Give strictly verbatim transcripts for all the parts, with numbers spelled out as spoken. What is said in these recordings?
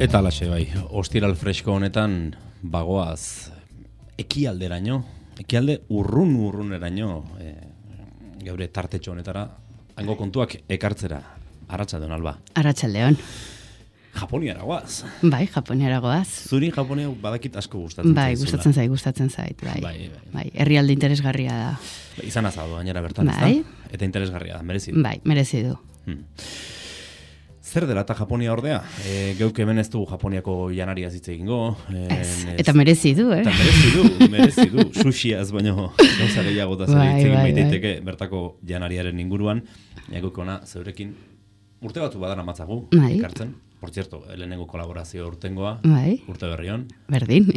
Eta alaxe bai, ostiral fresko honetan bagoaz ekialderaino, ekialde urrun urruneraino e, geure tartetxo honetara hango kontuak ekartzera. Arratsaldeon Alba. Arratsaldeon. Japoniara goaz. Bai, Japoniara goaz. Zuri Japonia badakit asko gustatzen bai, zaizula. gustatzen zait, gustatzen zait, bai. Bai, bai. Bai, herrialde interesgarria da. Izan azado gainera bertan, bai. ezta? Eta interesgarria da, merezi du. Bai, merezi du. Hmm. Zer dela eta Japonia ordea? E, geuk hemen ez du Japoniako janariaz hitz egingo. E, ez. Eta merezi du, eh? Eta merezi du, merezi du. Sushiaz baino gauza gehiago eta zer bai, hitz egin bai, baitaiteke bertako janariaren inguruan. Geuk ona zeurekin urte batu badara matzagu, bai. Ekartzen. Por cierto, lehenengo kolaborazio urtengoa, bai. Urte berrion. Berdin.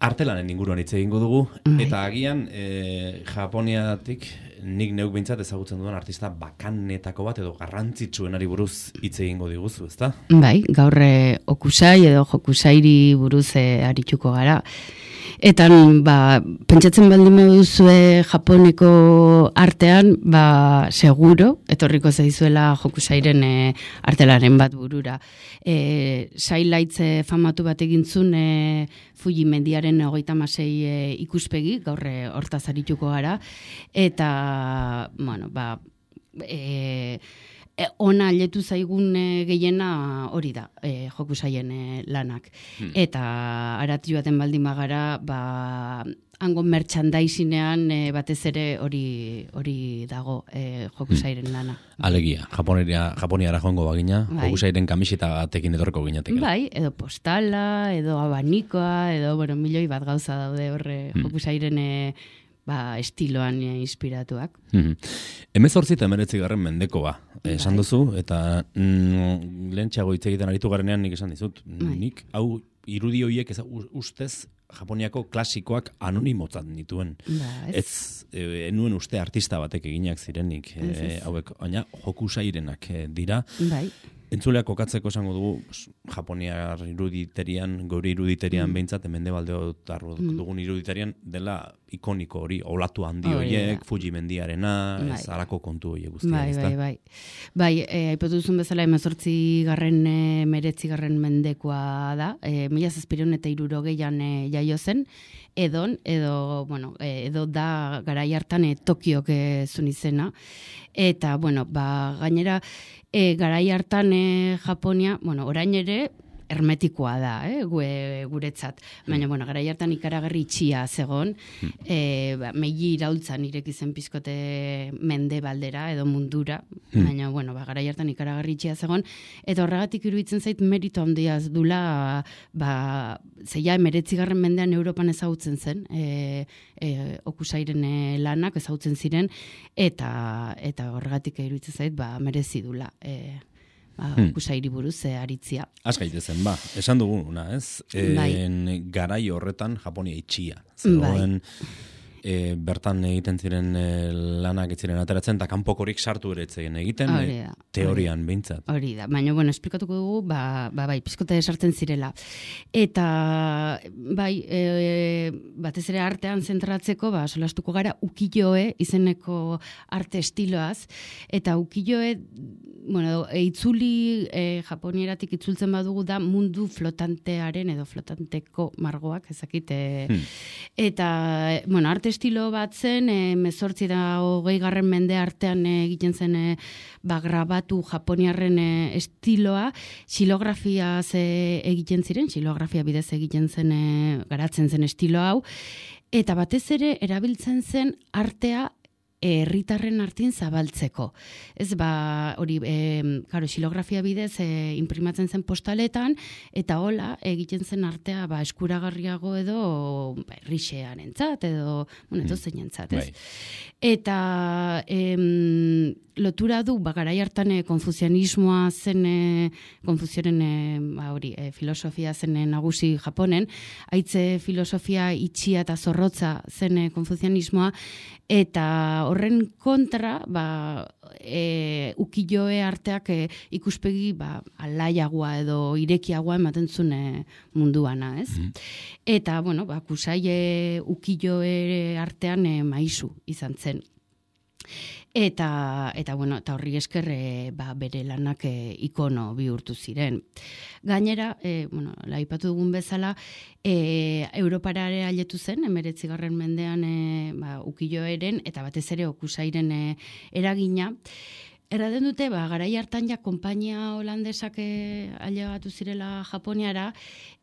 Artelanen inguruan hitz egingo dugu, bai. Eta agian e, Japoniatik nik neuk behintzat ezagutzen dudan artista bakanetako bat edo garrantzitsuenari buruz hitz egingo diguzu, ezta? Bai, gaur okusai edo jokusairi buruz e, arituko gara. Eta ba, pentsatzen baldin baduzue Japoneko artean, ba, seguro, etorriko zaizuela jokusairen e, artelaren bat burura. E, Sailaitze famatu bat egintzun e, Fuji mendiaren hogeita hamasei e, ikuspegi, gaur e, hortaz arituko gara. Eta, bueno, ba, e, E, ona letu zaigun e, gehiena hori da, e, jokusaien e, lanak. Hmm. Eta arati baten baldin bagara, ba, hango merchandisinean e, batez ere hori hori dago e, jokusairen lana. Alegia, Japonia, Japoniara joango bagina, bai. Jokusairen kamiseta batekin etorreko ginetek. Bai, edo postala, edo abanikoa, edo, bueno, milioi bat gauza daude horre hmm. jokusairen e, ba, estiloan e, inspiratuak. Mm-hmm. Hemezortzi eta hemeretzi garren mendekoa, bai. Esan duzu, eta mm, lehen txago hitz egiten aritu garenean nik esan dizut. Bai. Nik hau irudi horiek ez, ustez Japoniako klasikoak anonimotzat nituen. Ba, ez, ez e, enuen uste artista batek eginak zirenik, e, hauek, baina jokusairenak e, dira. Bai. Entzuleak kokatzeko esango dugu, Japoniar iruditerian, gure iruditerian mm. behintzat, mendebaldeo dugun iruditerian, dela ikoniko hori, olatu handi horiek, oh, Fuji mendiarena, bai. Ez harako kontu horiek guztia. Bai, bai, bai. Bai, aipatu duzun bezala, emezortzi garren, meretzi garren mendekoa da, e, mila zazpireun eta hirurogeian e, jaio zen, edon, edo, bueno, edo da garai hartan e, Tokiok e, zun izena, eta, bueno, ba, gainera, E, garai hartan e, Japonia, bueno, orain ere hermetikoa da, eh, gue, guretzat. Baina, bueno, garai hartan ikaragarri itxia zegon, e, ba, meili iraultzan ireki zen pizkote mendebaldera edo mundura, baina, bueno, ba, garai hartan ikaragarri itxia zegon, eta horregatik iruditzen zait merito handiaz dula, ba, zeia emeretzigarren mendean Europan ezagutzen zen, e, e, okusairen e, lanak ezagutzen ziren, eta eta horregatik iruditzen zait, ba, merezi dula, e, Ba, hmm. okusairi buruz e, aritzia. Az gaitezen, ba, esan duguna, ez? En, bai. Garai horretan Japonia itxia. Zegoen, bai. E, bertan egiten ziren e, lanak etziren ateratzen, eta kanpokorik sartu ere etzeien egiten, e, teorian hori, behintzat. Hori da, baina, bueno, esplikatuko dugu, ba, ba, bai, pizkote sartzen zirela. Eta, bai, e, batez ere artean zentratzeko, ba, solastuko gara, ukiyo-e izeneko arte estiloaz, eta ukiyo-e, bueno, itzuli e, Japonieratik itzultzen badugu da mundu flotantearen edo flotanteko margoak, ezakit. E, hmm. Eta, bueno, arte estilo bat zen, e, mezortzi da hogei garren mende artean e, egiten zen e, ba, grabatu Japoniarren e, estiloa, xilografia ze egiten ziren, xilografia bidez egiten zen, e, garatzen zen estilo hau, eta batez ere erabiltzen zen artea herritarren artin zabaltzeko. Ez ba, hori, e, karo, xilografia bidez e, imprimatzen zen postaletan, eta hola, egiten zen artea ba, eskuragarriago edo ba, errixean entzat, edo, bueno, edo zein entzat, ez? Bai. Eta em, lotura du, ba, garai hartan e, konfuzianismoa zen, e, konfuzioaren e, ba, hori, e, filosofia zen e, nagusi Japonen, haitze filosofia itxia eta zorrotza zen e, konfuzianismoa, eta horren kontra, ba, e, ukiyo-e arteak e, ikuspegi ba, alaiagoa edo irekiagoa ematen zuen e, munduana, ez? Mm. Eta, bueno, ba, kusai e, ukiyo-e artean e, maisu izan zen. Eta, eta, bueno, eta horri esker e, ba, bere lanak e, ikono bihurtu ziren. Gainera, e, bueno, laipatu dugun bezala, e, Europara ere ailetu zen, emeretzigarren mendean e, ba, ukilloeren, eta batez ere okusairen e, eragina. Erraten dute, ba, garai hartan ja konpainia holandesak ailegatu zirela Japoniara,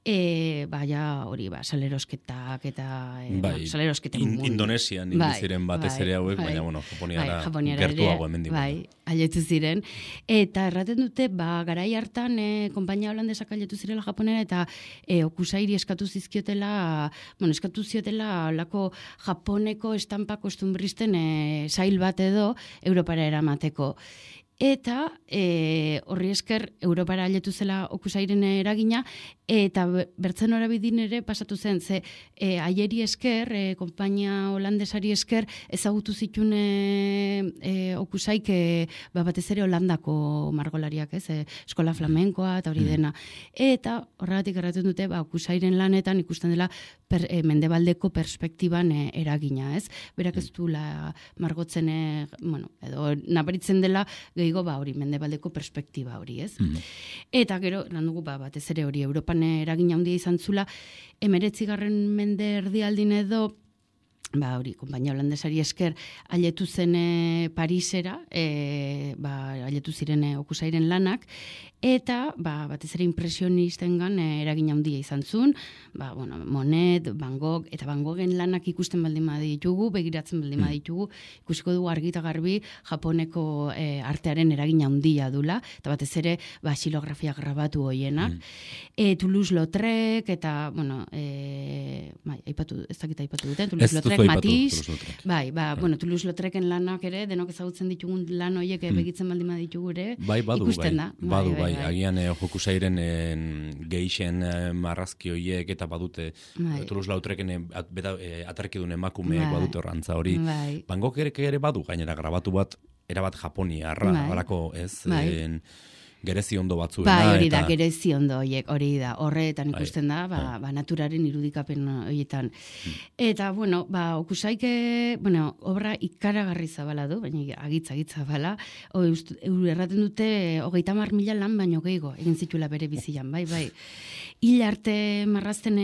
e, ba, ja, hori, ba, salerosketak eta e, bai, ba, salerosketen in, Indonesian bai, ziren batez ere hauek, bai, baina, bueno, Japoniara, bai, gertuago hemen digu. Bai, ailetu ziren. Eta erraten dute, ba, garai hartan e, konpainia holandesak ailetu zirela Japoniara, eta e, okusairi eskatu zizkiotela, bueno, eskatu ziotela lako Japoneko estampa kostumbristen e, sail bat edo Europara eramateko. Eta e, horri esker Europara ailetu zela okusairen eragina, eta bertzen horabidin ere pasatu zen, ze e, aieri esker, e, konpainia holandesari esker, ezagutu zituen e, e, okusaik e, ba, batez ere Holandako margolariak, ez, e, eskola flamenkoa eta hori dena. Eta horregatik erraten dute, ba, okusairen lanetan ikusten dela per, e, mendebaldeko perspektiban e, eragina, ez? Berak ez du la margotzen, e, bueno, edo nabaritzen dela gehiago ba hori mendebaldeko perspektiba hori, ez? Mm. Eta gero, eran dugu, ba, batez ere hori Europan eragina handia izan zula, emeretzigarren mende erdialdin edo, ba hori, konpainia holandesari esker ailetu zen e, Parisera, e, ba, ailetu ziren e, okusairen lanak, eta ba, batez ere impresionistengan e, eragina handia izan zuen, ba, bueno, Monet, Van Gogh, eta Van Goghen lanak ikusten baldin baditugu, begiratzen baldin baditugu, ikusiko dugu argi eta garbi Japoneko e, artearen eragina handia dula, eta batez ere ba, xilografia grabatu hoienak. Mm. E, Toulouse-Lautrec, eta, bueno, e, bai, aipatu, ez dakit aipatu duten, Toulouse-Lautrec, Matisse, bai, ba, bueno, Toulouse-Lautrecen lanak ere, denok ezagutzen ditugun lan horiek mm. begitzen baldin baditugu ere, bai, badu, ikusten bai, da. Badu, bai, bai, bai. Agian eh, jokusairen eh, geixen eh, marrazki horiek eta badute bai. Toulouse-Lautrecen eh, at, eh, atarkidun emakumeek bai. Badute horrantza hori. Bai. Van Gogh ere, ere badu, gainera grabatu bat, erabat Japoniarra, bai. Barako ez... Bai. En, gerezi ondo batzuena. Bai, hori da, eta... gerezi ondo horiek, hori da, horretan ikusten da, ba, ba, naturaren irudikapen horietan. Hmm. Eta, bueno, ba, okusaike, bueno, obra ikaragarri zabala du, baina agitza, agitza bala, erraten dute, hogeita mar mila lan baino gehiago, egin zituela bere bizian, bai, bai. Hil arte marrazten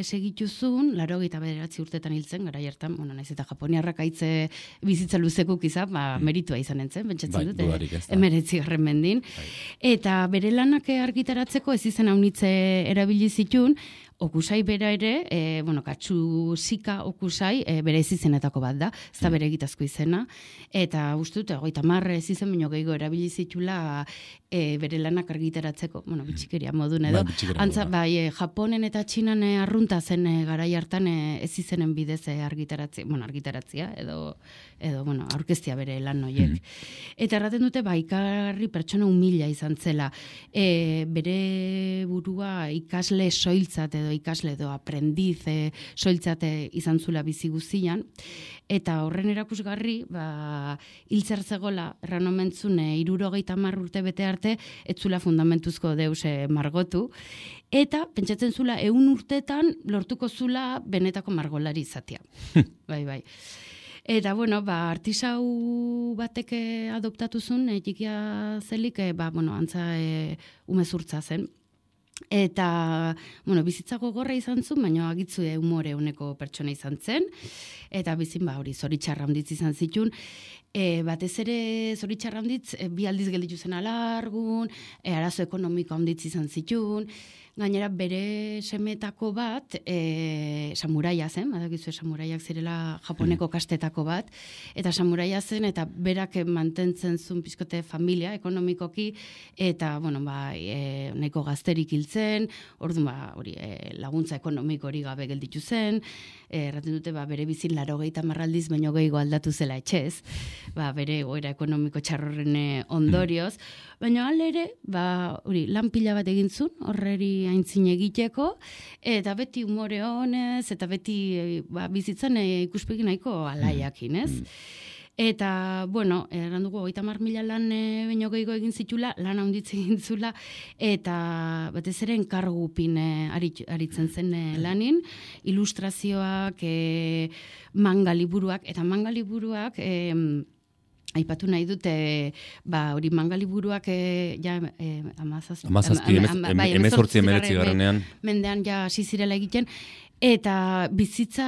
segituzun, laro gehieta bederatzi urtetan hiltzen, gara hartan, bueno, naiz eta japoniarrak aitze bizitza luzekuk izan, ba, meritua izan entzen, pentsatzen bai, dute, emeretzi garren mendin. Bai. Eta bere lanak argitaratzeko ez izan haunitze erabili zitun, okusai bera ere, e, bueno, katsu zika okusai e, bere ez izenetako bat da, ez da bere egitazko izena, eta uste dute, goita marre ez izen baino gehiago erabili zitula e, bere lanak argitaratzeko, bueno, bitxikeria modun edo, ba, antza, bai, e, Japonen eta Txinan e, arrunta zen e, garai hartan e, ez izenen bidez e, argitaratzea, bueno, argitaratzea, edo, edo, bueno, aurkeztia bere lan noiek. Mm. Eta erraten dute, ba, ikarri pertsona humila izan zela, e, bere burua ikasle soiltzat edo ikasle edo aprendiz e, soiltzate izan zula bizi guztian, eta horren erakusgarri, ba, hiltzer zegola, erran omentzun, e, irurogeita hamar urte bete arte, ez zula fundamentuzko deus e, margotu, eta pentsatzen zula, ehun urtetan lortuko zula benetako margolari izatea. Bai, bai. Eta, bueno, ba, artisau batek adoptatu zuen, e, txikia zelik, e, ba, bueno, antza e, umezurtza zen. Eta, bueno, bizitza gogorra izan zuen, baina agitzu humore honeko pertsona izan zen, eta bizin, ba, hori, zoritxarra handitz izan zitun, e, batez ere zoritxarra handitz, e, bi aldiz gelditu zen alargun, e, arazo ekonomiko handitz izan zitun, gainera bere semetako bat, e, samuraia zen, badakizu samuraiak zirela Japoneko kastetako bat, eta samuraia zen, eta berak mantentzen zuen pizkote familia, ekonomikoki, eta, bueno, ba, e, nahiko gazterik hiltzen, orduan, ba, hori, e, laguntza ekonomiko hori gabe gelditu zen, e, erraten dute, ba, bere bizin larogeita marraldiz, baino gehiago aldatu zela etxez, ba, bere goera ekonomiko txarrorren ondorioz, baina alere, ba, hori, lan pila bat egin zuen, horreri aintzin egiteko, eta beti umore honez, eta beti ba, bizitzan e, ikuspegi nahiko alaiakin, ez? Mm. Eta, bueno, eran dugu, hogeita hamar mila lan e, baino gehiago egin zitula, lan handitzen egin zula, eta batez ere enkargupin e, arit, aritzen zen e, lanin, ilustrazioak, e, manga liburuak, eta manga liburuak, e, aipatu nahi dute, ba, hori mangaliburuak e, ja e, amazazpi, amazazpi, emezortzi emeretzi garrenean. Mendean ja hasi zirela egiten, eta bizitza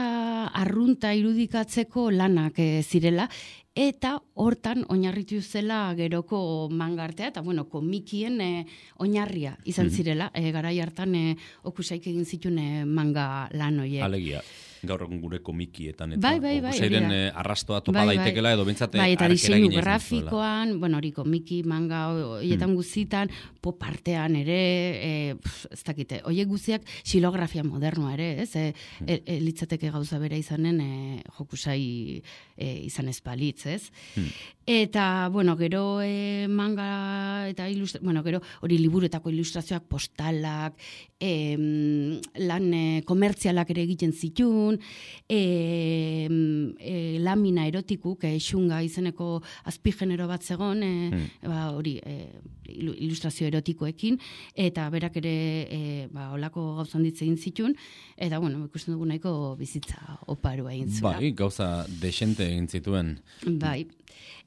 arrunta irudikatzeko lanak e, zirela, eta hortan oinarritu zela geroko mangartea, eta bueno, komikien e, oinarria izan zirela, e, garai hartan e, okusaik egin zituen e, manga lan horiek. Alegia. Gaur egun gure komikietan, eta bai, bai, bai, okusairen eh, arrastoa topa bai, daitekela, edo bintzate bai, eta diseinu grafikoan, bueno, hori komiki, manga, horietan hmm. guzitan, pop artean ere, e, pf, ez dakite, horiek guziak xilografia modernoa ere, ez? E, hmm. e, e, litzateke gauza bera izanen e, jokusai e, izan ez balitz, ez? Hmm. Eta, bueno, gero e, manga eta ilustrazioak, bueno, gero hori liburuetako ilustrazioak, postalak, e, lan e, komertzialak ere egiten zitun, E, e, lamina erotikuk, e, xunga izeneko azpigenero bat zegon, e, hmm. ba, hori e, ilustrazio erotikoekin, eta berak ere e, ba, olako gauza handitze egin zitun, eta bueno, ikusten dugu nahiko bizitza oparua egin zuen. Bai, gauza desente egin zituen. Bai.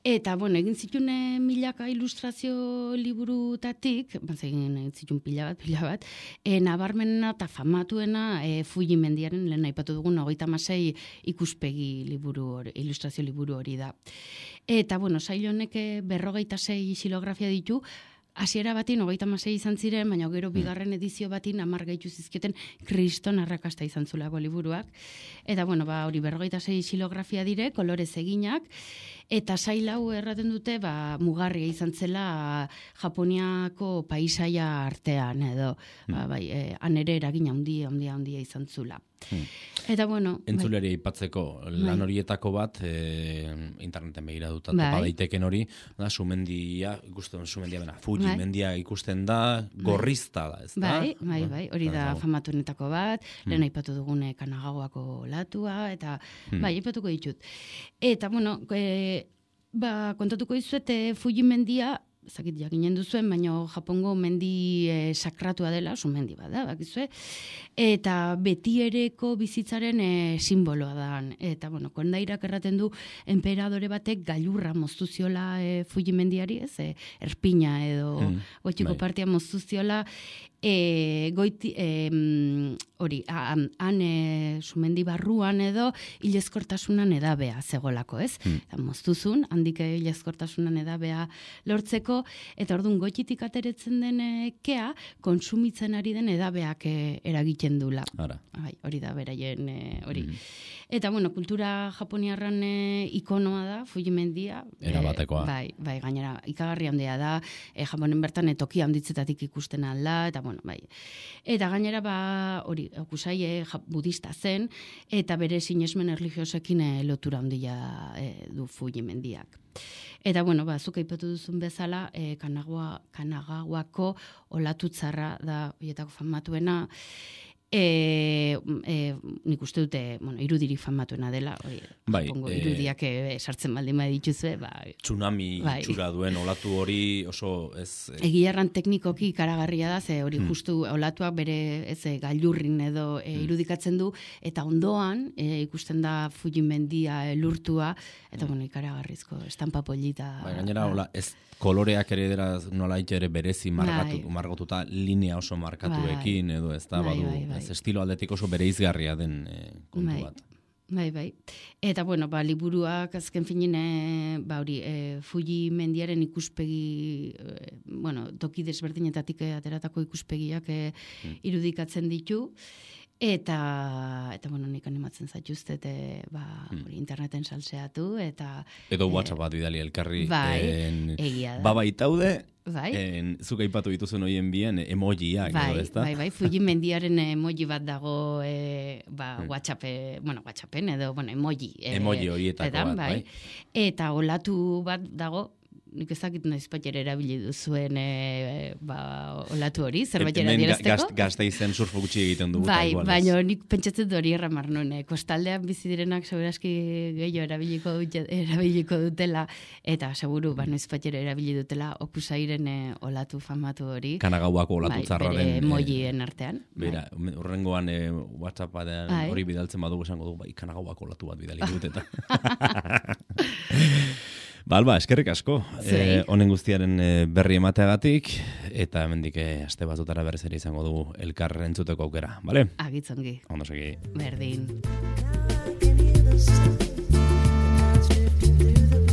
Eta, bueno, egin zituen e, milaka ilustrazio liburutatik, baz egin zituen pila bat, pila bat, e, nabarmenena eta famatuena e, Fuji mendiaren, lehen aipatu dugun, hogeita hamasei ikuspegi liburu hori, ilustrazio liburu hori da. Eta, bueno, sail honek berrogeita sei xilografia ditu, hasiera batin hogeita hamasei izan ziren, baina gero bigarren edizio batin hamar gehitu zizkioten kriston arrakasta izan zulako liburuak. Eta, bueno, ba, hori berrogeita sei xilografia dire, kolorez eginak, eta sail hau erraten dute, ba, mugarria izan zela Japoniako paisaia artean, edo, hmm. ba, bai, e, han ere eragina handia, handia, handia izan zula. Hmm. Eta, bueno... Entzuleari aipatzeko lan horietako bat, e, interneten begira dut topa daiteken hori, da, sumendia, ikusten sumendia bena, Fuji bai. mendia ikusten da, gorrizta da, ez da? Bai, bai, bai, hori da famatuenetako bat, hmm. lehen aipatu dugune Kanagaoako latua, eta, hmm. bai, aipatuko ditut. Eta, bueno, e, ba, kontatuko dizuet, Fuji mendia, zakit jakinen duzuen, baina Japongo mendi e, sakratua dela, su mendi bada, bakizue, eta betiereko bizitzaren e, simboloa da. Eta, bueno, kondairak erraten du, emperadore batek gailurra moztu ziola e, Fuji mendiari, ez, e, erpina edo mm, gotxiko partia moztu ziola, e, goiti, e, hori, han e, sumendi barruan edo hilezkortasunan edabea zegolako, ez? Mm. Eta moztuzun, handik hilezkortasunan edabea lortzeko, eta orduan goititik ateretzen den e, kea, konsumitzen ari den edabeak e, eragiten dula. Ara. Bai, hori da beraien e, hori. Mm. Eta, bueno, kultura japoniarran e, ikonoa da, Fuji mendia. Erabatekoa. E, bai, bai, gainera, ikagarri handia da, e, Japonen bertan etoki handitzetatik ikusten alda, eta, bueno, bai. Eta gainera, ba, hori, okusai e, budista zen, eta bere sinesmen erlijiosekin e, lotura handia e, du Fuji mendiak. Eta, bueno, ba, zuk aipatu duzun bezala, e, Kanagawa, Kanagawako olatutzarra da, horietako famatuena, E, e, nik uste dute, bueno, irudirik famatuena dela, oi, bai, Japongo irudiak e, sartzen baldin bai dituzue, ba, tsunami bai. Itxura duen olatu hori oso ez... E... Egiarran teknikoki ikaragarria da, ze hori hmm. justu olatuak bere ez e, gailurrin edo e, irudikatzen du, eta ondoan e, ikusten da Fuji mendia e, lurtua, eta hmm. bueno, ikaragarrizko estampa polita. Bai, gainera, hola, ez koloreak ere dira nola ere berezi margatu, bai. margotuta linea oso markatuekin, bai. edo ez da, bai, badu, bai, bai. Ez estilo aldetik oso bereizgarria den e, kontu bai. bat. Bai, bai. Eta, bueno, ba, liburuak azken finin, e, ba, hori, e, Fuji mendiaren ikuspegi, e, bueno, toki desberdinetatik ateratako ikuspegiak e, hmm. irudikatzen ditu, eta, eta bueno, nik animatzen zaituztet, e, ba, hmm. hori, interneten salseatu, eta... Edo WhatsApp bat bidali elkarri. Bai, en, egia da. Babaitaude, bai. En, zuk aipatu dituzun hoien bien emojiak, bai, edo, ezta? Bai, bai, Fuji mendiaren emoji bat dago e, ba, hmm. WhatsApp, bueno, WhatsAppen edo, bueno, emoji. E, emoji horietako edan, bat, bai. bai. Eta olatu bat dago, nik ezakit noiz patxera erabili duzuen e, ba, olatu hori, zerbait adierazteko. Hemen Gasteizen surfo gutxi egiten dugu. Bai, baina nik pentsatzen hori erramar nuen. Kostaldean bizi direnak segurazki gehiago erabiliko, erabiliko dutela, eta seguru, ba, noiz patxera erabili dutela okusairen e, olatu famatu hori. Kanagauako olatu bai, zarraren. Bere emojien artean. Bera, bai. Urrengoan e, WhatsAppadean bai. Hori bidaltzen badugu esango dugu, bai, Kanagauako olatu bat bidali dut, eta... Ba, Alba, eskerrik asko. Eh, honen guztiaren eh, berri emateagatik, eta hemendik eh, aste batutara berriz ere izango dugu elkar entzuteko aukera, bale? Agitzongi. Ondo segi. Berdin. Through the